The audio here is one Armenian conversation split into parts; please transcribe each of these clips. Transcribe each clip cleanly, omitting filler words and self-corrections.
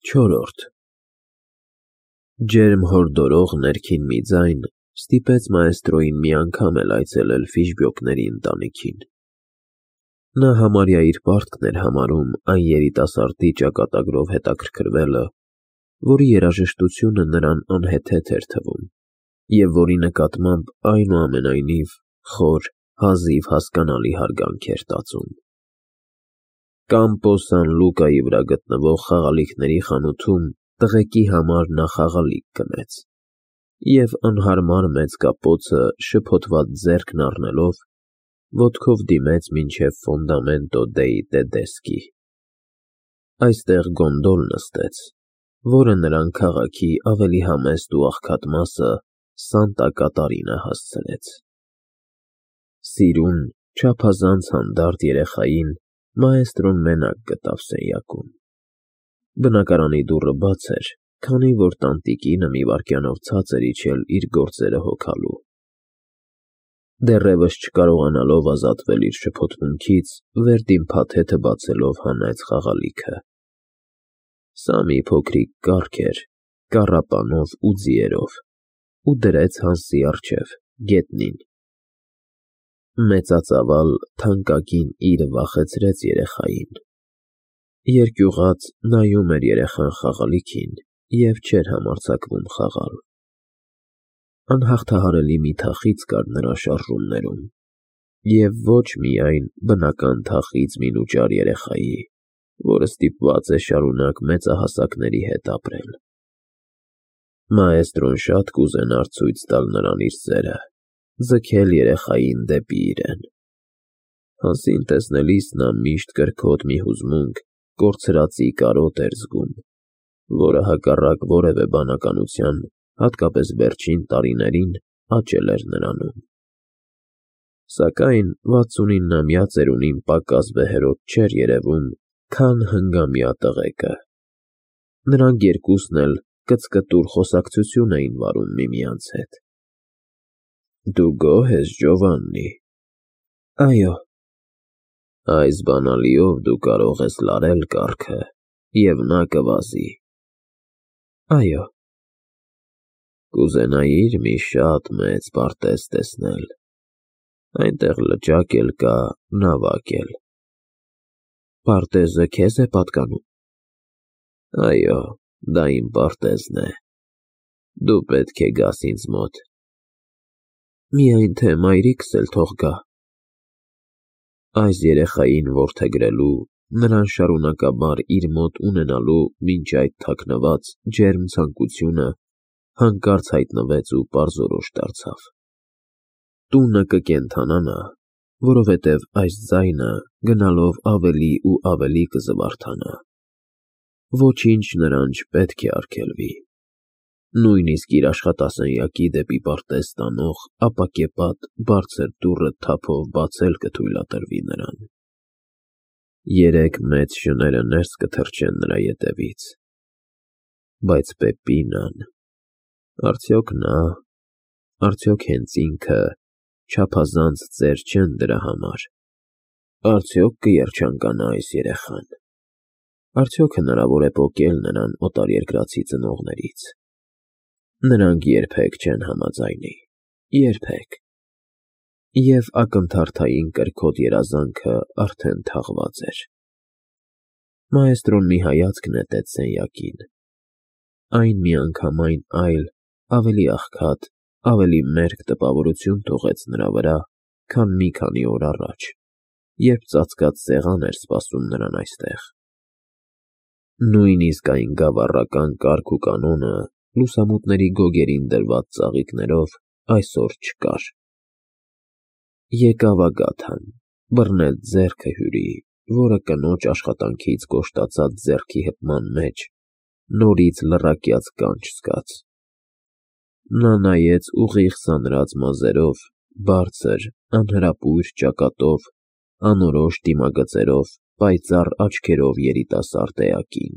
Չորրորդ Ջերմ հորդորող ներքին մի ձայն ստիպեց մաեստրոյին մի անգամ էլ այցելել Ֆիշբյոկների ընտանիքին։ Նա համարյա իր պարտքն էր համարում այն երիտասարդի ճակատագրով հետաքրքրվելը, որի երաժշտությունը նրան անհեթեթ էր թվում, և որի նկատմամբ այնուամենայնիվ խոր, հազիվ հասկանալի հարգանք էր տածում։ Կամպո Սան Լուկայի վրա գտնվող խաղալիքների խանութում տղեկի համար նա խաղալիք գնեց, և անհարմար մեծ կապոցը շփոթված ձեռքն առնելով, ոտքով դիմեց մինչև Ֆոնդամենտո դեի Տեդեսկի։ Այստեղ գոնդոլ նստեց, որը նրան քաղաքի ավելի համեստ ու աղքատ մասը Սանտա Կատարինա հասցրեց։ Սիրուն, չափազանց հանդարտ երեխային մաեստրոն մենակ գտավ սենյակում։ Բնակարանի դուռը բաց էր, քանի որ տանտիկինը մի վայրկյանով ցած էր իջել իր գործերը հոգալու։ Դեռևս չկարողանալով ազատվել իր շփոթմունքից, վերդին փաթեթը բացելով հանեց խաղալիքը։ Սա մի փոքրիկ կառք էր, կառապանով ու ձիերով, ու դրեց Հանսի առջև, գետնին։ Մեծածավալ, թանկագին իրը վախեցրեց երեխային։ Երկյուղած նայում էր երեխան խաղալիքին և չէր համարձակվում խաղալ։ Անհաղթահարելի մի թախիծ կար նրա շարժումներում, և ոչ միայն բնական թախիծ մինուճար երեխայի, որը ստիպված է շարունակ մեծահասակների հետ ապրել։ Մաեստրոն շատ կուզենար ցույց տալ նրան իր սերը, ձգել երեխային դեպի իրեն։ Հանսին տեսնելիս նա միշտ կրքոտ մի հուզմունք, կորցրածի կարոտ էր զգում, որը հակառակ որևէ բանականության, հատկապես վերջին տարիներին, աճել էր նրանում։ Սակայն 69-ամյա ծերունին պակաս վեհերոտ չէր երևում, քան հնգամյա տղեկը։ Նրանք երկուսն էլ կծկտուր խոսակցություն էին վարում միմյանց հետ։ Դու գոհ ես, Ջովաննի։ Այո։ Այս բանալիով դու կարող ես լարել կառքը, և նա կվազի։ Այո։ Կուզենայի՞ր մի շատ մեծ պարտեզ տեսնել։ Այնտեղ լճակ էլ կա, նավակ էլ։ Պարտեզը քեզ է պատկանում։ Այո, դա իմ պարտեզն է։ Դու պետք է գաս ինձ մոտ։ Միայն թե մայրիկս էլ թող գա։ Այս երեխային որդեգրելու, նրան շարունակաբար իր մոտ ունենալու մինչ այդ թաքնված, ջերմ ցանկությունը հանկարծ հայտնվեց ու պարզորոշ դարձավ։ Տունը կկենդանանա, որովհետև այս ձայնը գնալով ավելի ու ավելի կզվարթանա։ Ոչինչ նրան չպետք է արգելվի։ Նույնիսկ իր աշխատասենյակի դեպի պարտեզ տանող ապակեպատ բարձր դուռը թափով բացել կթույլատրվի նրան։ 3 մեծ շները ներս կթռչեն նրա ետևից։ Բայց Պեպինան… Արդյոք նա, արդյոք հենց ինքը չափազանց ծեր չեն դրա համար։ Արդյոք կերջանկանա այս երեխան։ Արդյոք հնարավոր է պոկել նրան օտարերկրացի ծնողներից։ Նրանք երբեք չեն համաձայնի, երբեք։ Եվ ակնթարթային կրքոտ երազանքը արդեն թաղված էր։ Մաեստրոն մի հայացք նետեց սենյակին։ Այն միանգամայն այլ, ավելի աղքատ, ավելի մերկ տպավորություն թողեց նրա վրա, քան մի քանի օր առաջ, երբ ծածկած սեղան էր սպասում նրան այստեղ։ Նույնիսկ այն գավառական կարգ ու կանոնը, լուսամուտների գոգերին դրված ծաղիկներով, այսօր չկար։ Եկավ Ագաթան, բռնեց ձեռքը Հյուրի, որը կնոջ աշխատանքից կոշտացած ձեռքի հպման մեջ նորից լռակյաց կանչ զգաց։ Նա նայեց ուղիղ սանրած մազերով, բարձր, անհրապույր ճակատով, անորոշ դիմագծերով, պայծառ աչքերով երիտասարդ էակին։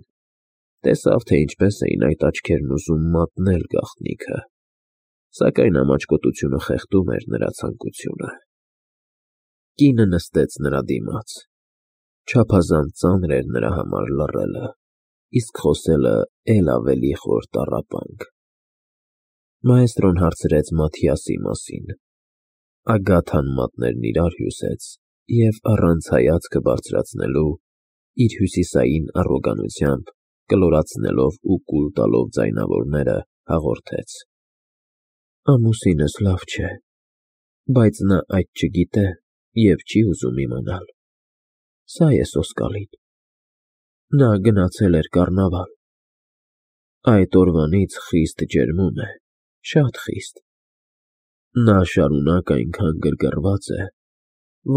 Տեսավ, թե ինչպես էին այդ աչքերն ուզում մատնել գաղտնիքը, սակայն ամաչկոտությունը խեղդում էր նրա ցանկությունը։ Կինը նստեց նրա դիմաց։ Չափազանց ծանր էր նրա համար լռելը։ իսկ խոսելը էլ ավելի խոր տառապանք։ Մայստրոն հարցրեց Մաթիասի մասին։ Ագաթան մատներն իրար հյուսեց և առանց հայացքը բարձրացնելու, իր հյուսիսային առոգանությամբ, կլորացնելով ու կուլ տալով ձայնավորները, հաղորդեց. Ամուսինս լավ չէ, բայց նա այդ չգիտե և չի ուզում իմանալ։ Սա է սոսկալին։ Նա գնացել էր կառնավալ։ Այդ օրվանից խիստ ջերմում է, շատ խիստ։ Նա շարունակ այնքան գրգռված է,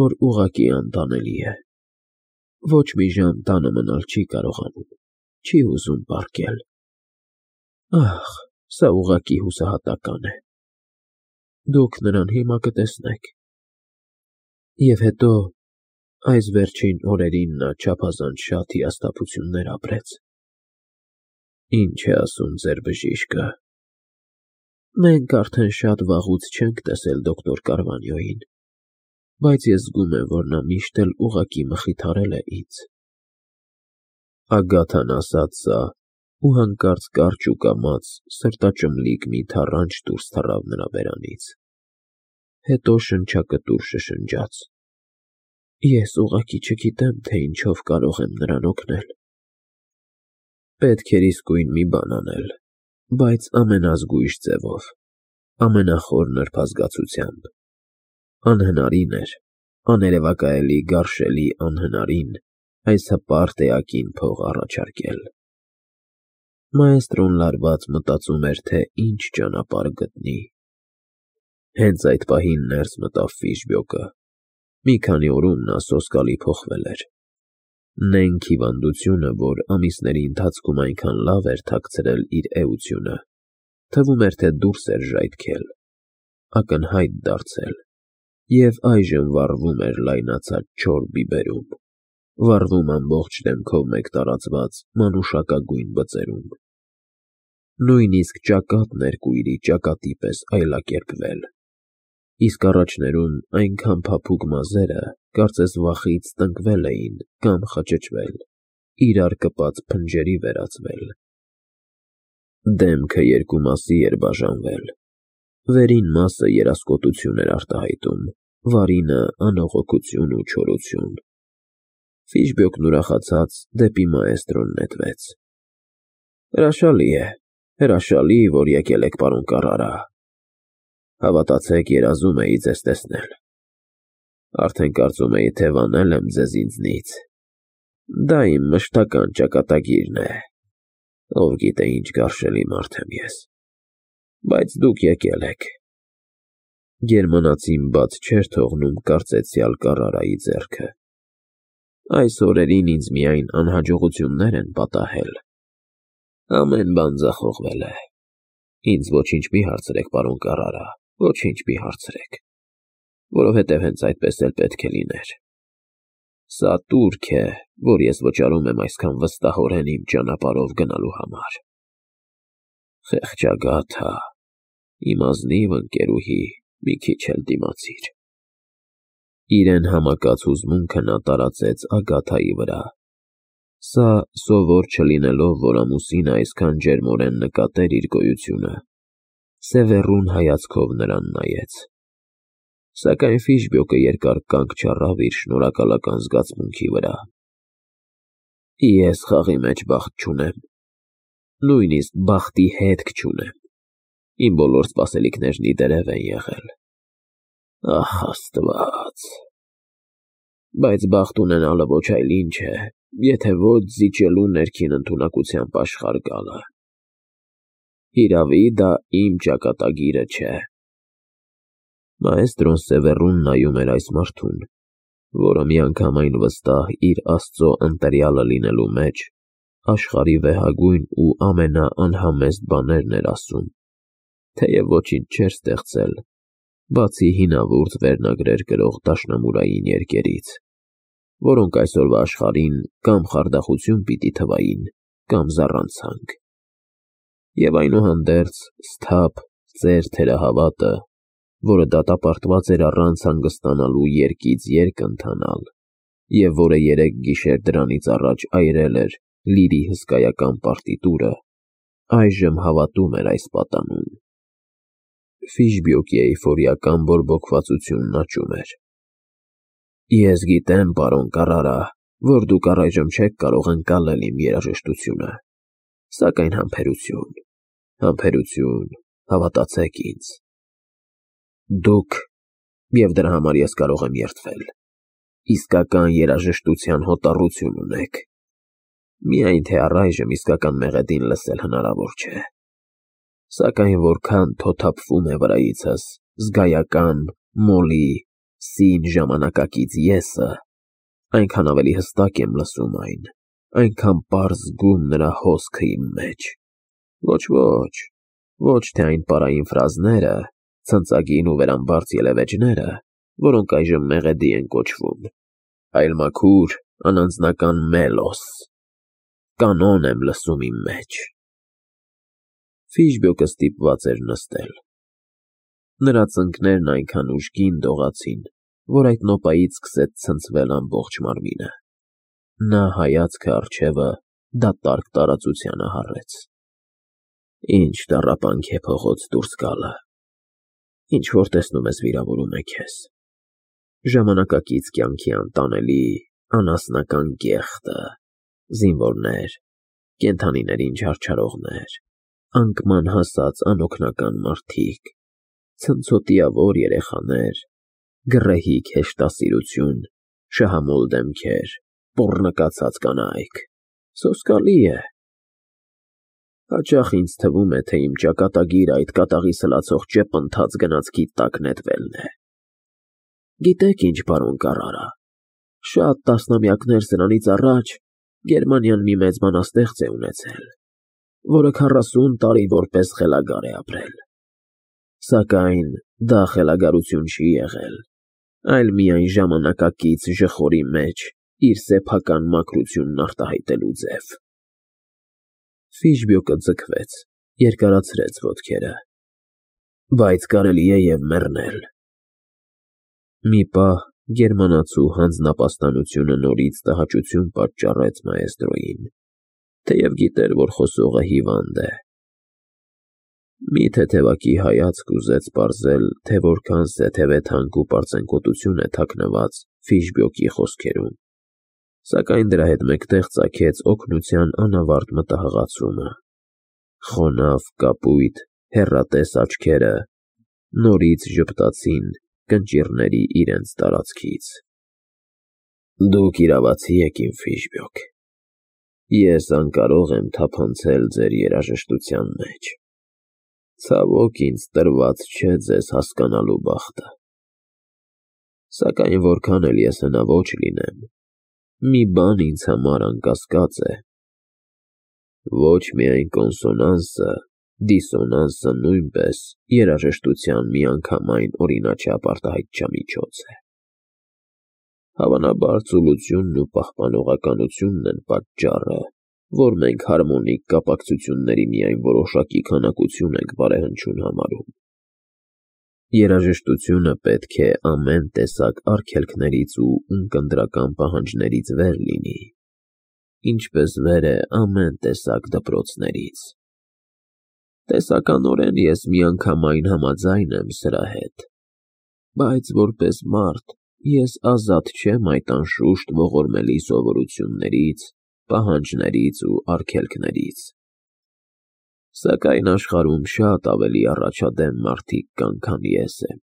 որ ուղղակի անտանելի է։ Ոչ մի ժամ տանը մնալ չի կարողանում, չի ուզում պառկել։ Ահ, սա ուղղակի հուսահատական է։ Դուք նրան հիմա կտեսնեք։ Եվ հետո, այս վերջին օրերին նա չափազանց շատ հիասթափություններ ապրեց։ Ինչ է ասում ձեր բժիշկը։ Մենք արդեն շատ վաղուց չենք տեսել դոկտոր Կարվանյոյին, բայց ես զգում եմ, որ նա միշտ էլ ուղղակի մխիթարել է ինձ։ Ագաթան ասաց սա ու հանկարծ կարճ ու կամաց սրտաճմլիկ մի թառանչ դուրս թռավ նրա բերանից։ Հետո շնչակտուր շշնջաց. Ես ուղղակի չգիտեմ, թե ինչով կարող եմ նրան օգնել։ Պետք էր իսկույն մի բան անել, բայց ամենազգույշ ձևով, ամենախոր նրբազգացությամբ։ Անհնարին էր, աներևակայելի գարշելի անհնարին այս հպարտ էակին փող առաջարկել։ Մայստրոն լարված մտածում էր, թե ինչ ճանապարհ գտնի։ Հենց այդ պահին ներս մտավ Ֆիշբյոկը։ Մի քանի օրում նա սոսկալի փոխվել էր։ Նենգ հիվանդությունը, որ ամիսների ընթացքում այնքան լավ էր թաքցրել իր էությունը, թվում էր, թե դուրս էր ժայթքել, ակնհայտ դարձել, և այժմ վառվում էր լայնացած չոր բիբերում, վառվում ամբողջ դեմքով մեկ տարածված մանուշակագույն բծերում։ Նույնիսկ ճակատն էր կույրի ճակատի պես այլակերպվել, իսկ առաջներում այնքան փափուկ մազերը, կարծես վախից տնկվել էին կամ խճճվել, իրար կպած փնջերի վերածվել։ Դեմքը երկու մասի էր բաժանվել։ Վերին մասը երասկոտություն էր արտահայտում, վարինը անողոքություն ու չորություն։ Ֆիշբյոկն ուրախացած դեպի մայստրոն նետվեց։ Հրաշալի, որ եկել եք, պարոն Կարրարա։ Հավատացեք, երազում էի ձեզ տեսնել։ Արդեն կարծում էի, թե վանել եմ ձեզ ինձնից։ Դա իմ մշտական ճակատագիրն է։ Ով գիտե ինչ գարշելի մարդ եմ ես։ Բայց դուք եկել եք։ Գերմանացին բաց չէր թողնում կարծեցյալ Կարրարայի ձեռքը։ Այս օրերին ինձ միայն անհաջողություններ են պատահել։ Ամեն բան ձախողվել է։ Ինձ ոչինչ մի հարցրեք, պարոն Կարրարա, ոչինչ մի հարցրեք, որովհետև հենց այդպես էլ պետք է լիներ։ Սա տուրք է, որ ես վճարում եմ այսքան վստահորեն իմ ճանապարհով գնալու համար։ Խեղճ Ագաթա, իմ ազնիվ ընկերուհի, մի քիչ էլ դիմացիր։ Իրեն համակած հուզմունքը նա տարածեց Ագաթայի վրա։ Սա, սովոր չլինելով, որ ամուսինը այսքան ջերմորեն նկատեր իր գոյությունը, սևեռուն հայացքով նրան նայեց։ Սակայն Ֆիշբյոկը երկար կանգ չառավ իր շնորհակալական զգացմունքի վրա։ Ես խաղի մեջ բախտ չունեմ, նույնիսկ բախտի հետք չունեմ։ Իմ բոլոր սպասելիքներն ի դերև են եղել։ Ահ, Աստված։ Բայց բախտ ունենալը ոչ այլ ինչ է, եթե ոչ զիջելու ներքին ընդունակությամբ աշխարհ գալը։ Հիրավի, դա իմ ճակատագիրը չէ։ Մայստրոն սևեռուն նայում էր այս մարդուն, որը միանգամայն վստահ իր Աստծո ընտրյալը լինելու մեջ աշխարհի վեհագույն ու ամենաանհամեստ բաներն էր ասում, թեև ոչինչ չէր ստեղծել, բացի հինավուրց վերնագրեր կրող դաշնամուրային երկերից, որոնք այսօրվա աշխարհին կամ խարդախություն պիտի թվային, կամ զառանցանք։ Եվ այնուհանդերձ սթափ ծեր թերահավատը, որը դատապարտված էր առանց հանգստանալու երկից երկ ընթանալ, և որը երեք գիշեր դրանից առաջ այրել էր լիրի հսկայական պարտիտուրը, այժմ հավատում էր այս պատանուն։ Ֆիշբյոկի էյֆորիական բորբոքվածությունն աճում էր։ Ես գիտեմ, պարոն Կարարա, որ դուք առայժմ չեք կարող ընկալել իմ երաժշտությունը, սակայն համբերություն, հավատացեք ինձ։ Դուք, և դրա համար ես կարող եմ երդվել, իսկական երաժշտության հոտառություն ունեք, միայն թե առայժմ իսկական մեղեդին լսել հնարավոր չէ, սակայն որքան թոթափվում է վրայիցս զգայական, մոլի, սին ժամանակակից եսը, այնքան ավելի հստակ եմ լսում այն, այնքան պարզ զգում նրա հոսքը իմ մեջ։ Ոչ թե այն պարային ֆրազները, ցնծագին ու վերամբարձ ելևէջները, որոնք այժմ մեղեդի են կոչվում, այլ մաքուր, անանձնական մելոս, կանոն եմ լսում իմ մեջ։ Ֆիշբյոկը ստիպված էր նստել։ Նրա ծնկներն այնքան ուժգին դողացին, որ այդ նոպայից սկսեց ցնցվել ամբողջ մարմինը։ Նա հայացքը առջևը դատարկ տարածությանը հառեց։ Ինչ տառապանք է փողոց դուրս գալը։ Ինչ որ տեսնում ես վիրավորում է քեզ։ Ժամանակակից կյանքի անտանելի, անասնական կեղտը, զինվորներ, կենդանիներին չարչարողներ, անկման հասած անօգնական մարդիկ, ցնցոտիավոր երեխաներ, գռեհիկ հեշտասիրություն, շահամոլ դեմքեր, պոռնկացած կանայք, սոսկալի է։ Հաճախ ինձ թվում է, թե իմ ճակատագիրը այդ կատաղի սլացող ճեպընթաց գնացքի տակ նետվելն է։ Գիտեք ինչ, պարոն Կարարա, շատ տասնամյակներ սրանից առաջ Գերմանիան մի մեծ բանաստեղծ է ունեցել, որը 40 տարի որպես խելագար է ապրել։ Սակայն դա խելագարություն չի եղել, այլ միայն ժամանակակից ժխորի մեջ իր սեփական մաքրությունն արտահայտելու ձև։ Ֆիշբյոկը ձգվեց, երկարացրեց ոտքերը։ Բայց կարելի է և մեռնել։ Մի պահ գերմանացու հանձնապաստանությունը նորից տհաճություն պատճառեց մաեստրոյին, թեև գիտեր, որ խոսողը հիվանդ է։ Մի թեթևակի հայացք ուզեց պարզել, թե որքան սեթևեթանկ ու պարծենկոտություն է թաքնված Ֆիշբյոկի խոսքերում, սակայն դրա հետ մեկտեղ ծագեց օգնության անավարտ մտահղացումը։ Խոնավ, կապույտ, հեռատես աչքերը նորից ժպտացին կնճիռների իրենց տարածքից։ Դուք իրավացի եք, իմ Ֆիշբյոկ։ Ես անկարող եմ թափանցել ձեր երաժշտության մեջ։ Ցավոք ինձ տրված չէ ձեզ հասկանալու բախտը։ Սակայն որքան էլ ես հնաոճ լինեմ, մի բան ինձ համար անկասկած է։ Ոչ միայն կոնսոնանսը, դիսոնանսը նույնպես երաժշտության միանգամայն օրինաչափ արտահայտչամիջոց է։ Հավանաբար ծուլությունն ու պահպանողականությունն են պատճառը, որ մենք հարմոնիկ կապակցությունների միայն որոշակի քանակություն ենք բարեհնչյուն համարում։ Երաժշտությունը պետք է ամեն տեսակ արգելքներից ու ունկնդրական պահանջներից վեր լինի, ինչպես վեր է ամեն տեսակ դպրոցներից։ Տեսականորեն ես միանգամայն համաձայն եմ սրա հետ, բայց որպես մարդ ես ազատ չեմ այդ անշուշտ ողորմելի սովորություններից, պահանջներից ու արգելքներից։ Սակայն աշխարհում շատ ավելի առաջադեմ մարդիկ կան, քան ես եմ։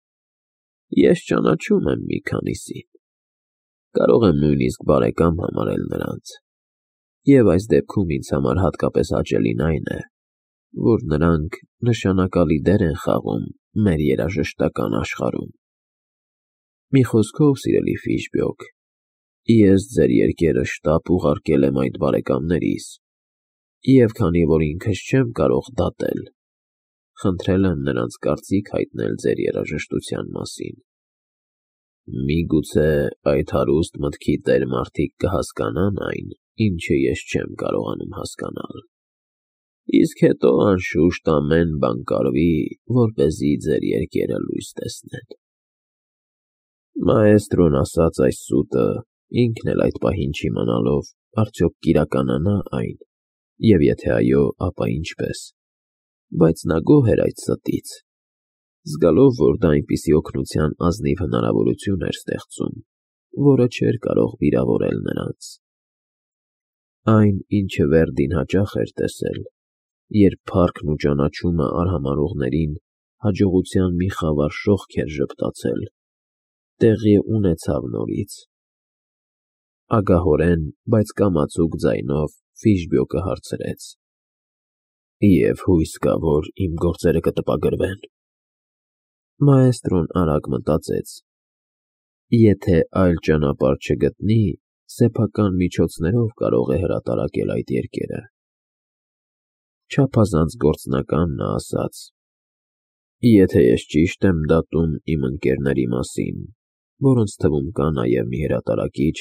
Ես ճանաչում եմ մի քանիսին, կարող եմ նույնիսկ բարեկամ համարել նրանց, և այս դեպքում ինձ համար հատկապես հաճելին այն է, որ նրանք նշանակալի դեր են խաղում մեր երաժշտական աշխարհում։ Մի խոսքով, սիրելի Ֆիշբյոկ, ես ձեր երկերը շտապ ուղարկել եմ այդ բարեկամներիս, և քանի որ ինքս չեմ կարող դատել, խնդրել եմ նրանց կարծիք հայտնել ձեր երաժշտության մասին։ Միգուցե այդ հարուստ մտքի տեր մարդիկ կհասկանան այն, ինչը ես չեմ կարողանում հասկանալ։ Իսկ հետո անշուշտ ամեն բան կարվի, որպեսզի ձեր երկերը լույս տեսնեն։ Մաեստրոն ասաց այս սուտը, ինքն էլ այդ պահին չիմանալով, արդյոք կիրականանա այն, և եթե այո, ապա ինչպես, բայց նա գոհ էր այդ ստից, զգալով, որ դա այնպիսի օգնության ազնիվ հնարավորություն էր ստեղծում, որը չէր կարող վիրավորել նրանց։ Այն, ինչը Վերդին հաճախ էր տեսել, երբ փառքն ու ճանաչումը արհամարհողներին հաջողության մի խավար շողք էր ժպտացել, տեղի ունեցավ նորից։ Ագահորեն, բայց կամացուկ ձայնով Ֆիշբյոկը հարցրեց. «Եվ հույս կա, որ իմ գործերը կտպագրվեն»։ Մաեստրոն արագ մտածեց. եթե այլ ճանապարհ չգտնի, սեփական միջոցներով կարող է հրատարակել այդ երկերը։ Չափազանց գործնական նա ասաց. «Եթե ես ճիշտ եմ դատում իմ ընկերների մասին, որոնց թվում կա նաև մի հրատարակիչ,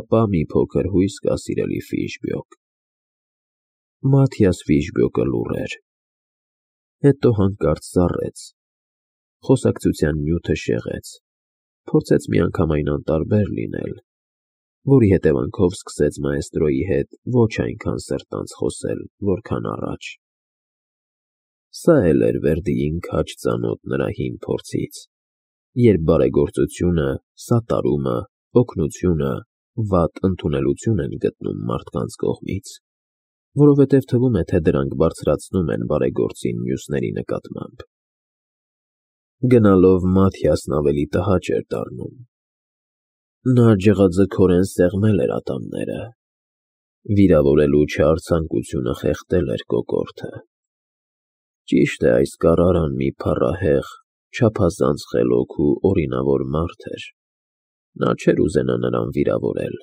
ապա մի փոքր հույս կա, սիրելի Ֆիշբյոկ»։ Մաթիաս Ֆիշբյոկը լուռ էր, հետո հանկարծ ծառեց, խոսակցության նյութը շեղեց, փորձեց միանգամայն անտարբեր լինել, որի հետևանքով սկսեց մաեստրոյի հետ ոչ այնքան սրտանց խոսել, որքան առաջ։ Սա էլ էր Վերդիին քաջ ծանոթ նրա հին փորձից, երբ բարեգործությունը, սատարումը, օգնությունը վատ ընդունելություն են գտնում մարդկանց կողմից, որովհետև թվում է, թե դրանք բարձրացնում են բարեգործին մյուսների նկատմամբ։ Գնալով Մաթիասն ավելի տհաճ էր դառնում։ Նա ջղաձգորեն սեղմել էր ատամները, վիրավորելու չար ցանկությունը խեղդել էր կոկորդը։ Ճիշտ է, այս կառարան մի փառահեղ, չափազանց խելոք ու օրինավոր մարդ էր, նա չէր ուզենա նրան վիրավորել,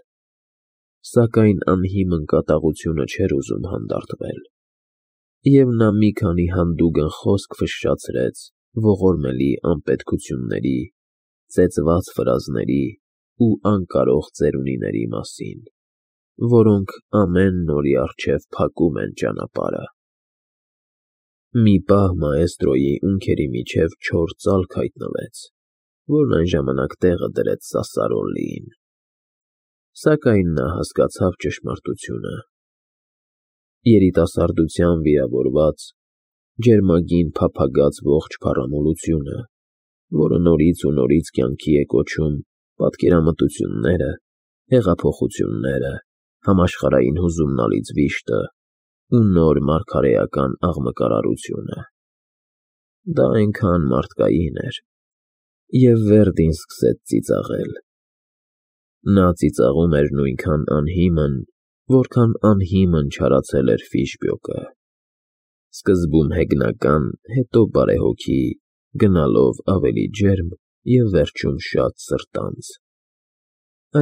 սակայն անհիմն կատաղությունը չէր ուզում հանդարտվել, և նա մի քանի հանդուգն խոսք ֆշշացրեց ողորմելի անպետքությունների, ծեծված ֆրազների ու անկարող ծերունիների մասին, որոնք ամեն նորի առջև փակում են ճանապարհը։ Մի պահ մաեստրոյի ունքերի միջև չոր ծալք հայտնվեց, որն այն ժամանակ տեղը դրեց Սասսարոլիին, սակայն նա հասկացավ ճշմարտությունը։ Երիտասարդության վիրավորված, ջերմագին փափագած ողջ փառամոլությունը, որը նորից ու նորից կյանքի է կոչում պատկերամտությունները, հեղափոխությունները, համաշխարհային հուզումնալից վիշտը ու նոր մարգարեական աղմկարարությունը։ Դա այնքան մարդկային էր, և Վերդին սկսեց ծիծաղել։ Նա ծիծաղում էր նույնքան անհիմն, որքան անհիմն չարացել էր Ֆիշբյոկը, սկզբում հեգնական, հետո բարեհոգի, գնալով ավելի ջերմ և վերջում շատ սրտանց։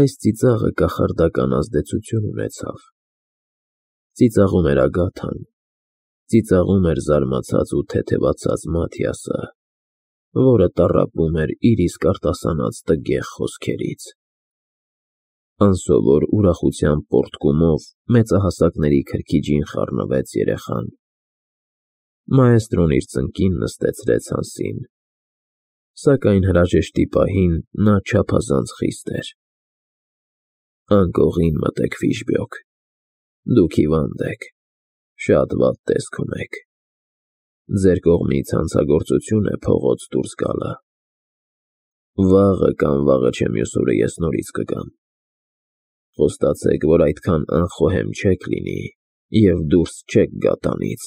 Այս ծիծաղը կախարդական ազդեցություն ունեցավ։ Ծիծաղում էր Ագաթան, ծիծաղում էր զարմացած ու թեթևացած Մաթիասը, որը տառապում էր իր իսկ արտասանած տգեղ խոսքերից։ Անսովոր ուրախության պոռթկումով մեծահասակների քրքիջին խառնվեց երեխան։ Մաեստրոն իր ծնկին նստեցրեց Հանսին, սակայն հրաժեշտի պահին նա չափազանց խիստ էր։ Անկողին մտեք, Ֆիշբյոկ, դուք հիվանդ եք, շատ վատ տեսք ունեք, ձեր կողմից հանցագործություն է փողոց դուրս գալը։ Վաղը կամ վաղը չէ մյուս օրը ես նորից կգամ։ Խոստացեք, որ այդքան անխոհեմ չեք լինի և դուրս չեք գա տանից։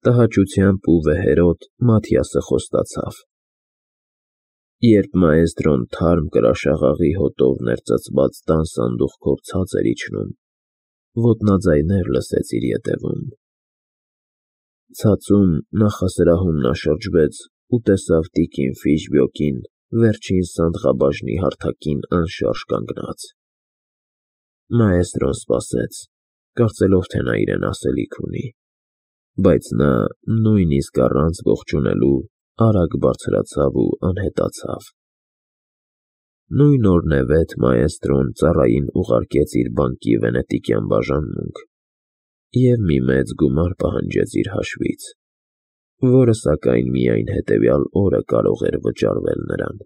Տհաճությամբ ու վեհերոտ Մաթիասը խոստացավ։ Երբ մաեստրոն թարմ կրաշաղաղի հոտով ներծծված տան սանդուղքով ցած էր իջնում, ոտնաձայներ լսեց իր ետևում։ Ցածում նախասրահում նա շրջվեց ու տեսավ տիկին Ֆիշբյոկին վերջին սանդղաբաժնի հարթակին անշարժ կանգնած։ Մաեստրոն սպասեց, կարծելով, թե նա իրեն ասելիք ունի, բայց նա, նույնիսկ առանց ողջունելու, արագ բարձրացավ ու անհետացավ։ Նույն օրնևեթ մաեստրոն ծառային ուղարկեց իր բանկի վենետիկյան բաժանմունք և մի մեծ գումար պահանջեց իր հաշվից, որը սակայն միայն հետևյալ օրը կարող էր վճարվել նրան։